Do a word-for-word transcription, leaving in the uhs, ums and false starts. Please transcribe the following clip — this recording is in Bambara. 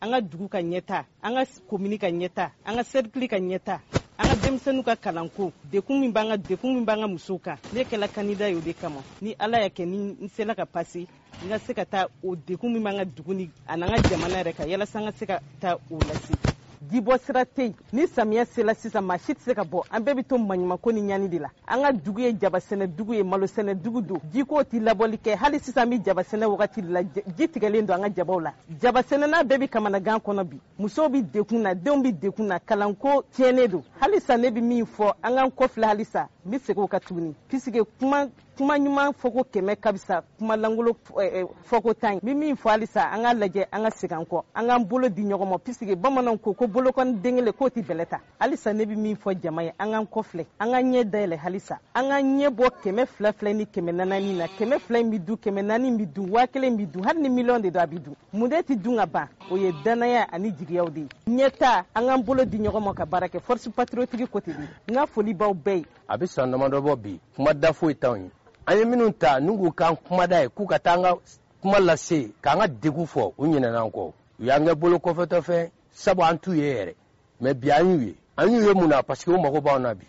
An ka dugu ka ɲɛta, an ka komini ka ɲɛta, an ka sɛrikili ka ɲɛta, an ka denmisɛnninw ka kalanko, dekun min b'an ka dekun min b'an ka musow kan. Ne kɛla kandida ye o de kama. Ni Ala y'a kɛ, ni n sela ka pase, n ka se ka taa o dekun min b'an ka dugu ni a n'an ka jamana yɛrɛ kan, yalasa an ka se ka taa o lase. Jibɔ sira tɛ yen. Ni samiya sela sisan, maa si tɛ se ka bɔ, an bɛɛ bɛ to maɲumanko ni ɲani de la. An ka dugu ye jabasɛnɛ dugu ye, malosɛnɛ dugu don. Jiko tɛ labɔli kɛ. Hali sisan, an bɛ jabasɛnɛ wagati de la, ji tigɛlen don an ka jabaw la. Jabasɛnɛna bɛɛ bɛ kamanagan kɔnɔ bi. Musow bɛ dekun na, denw bɛ dekun na, kalanko tiɲɛnen don. Halisa ne bɛ min fɔ, an k'an kɔfilɛ halisa, n bɛ segin o kan tuguni, puisque kuma kuma ɲuman fɔko kɛmɛ ka fisa kuma lankolon fɔko tan ye. N bɛ min fɔ halisa, an k'a lajɛ, an ka segin an kɔ, an k'an bolo di ɲɔgɔn ma, puisque bamananw ko ko bolokɔni den kelen k'o tɛ bɛlɛ ta. Halisa ne bɛ min fɔ jama ye, an k'an kɔfilɛ, an k'an ɲɛ dayɛlɛ halisa, an k'an ɲɛ bɔ kɛmɛ fila fila ni kɛmɛ naani na. Kɛmɛ fila in bɛ dun, kɛmɛ naani bɛ dun, waa kelen bɛ dun, hali ni miliyɔn de don, a bɛ dun. Mun de tɛ dun ka ban? O ye danaya ani jigiyaw de ye. Ɲɛta, an k'an bolo di ɲɔgɔn ma ka baara kɛ. Force patriotique côté de, n ka foli b'aw bɛɛ ye. A bɛ san damadɔ bɔ bi, kuma da foyi t'anw ye. An ye minnu ta n'u k'u k'an kumada ye, k'u ka taa an ka kuma lase, k'an ka degun fɔ, u ɲinɛna an kɔ, u y'an kɛ bolo kɔfɛtɔfɛn, sabu an t'u ye yɛrɛ. Mɛ bi an y'u ye. An y'u ye mun na? Parce que u mago b'anw na bi.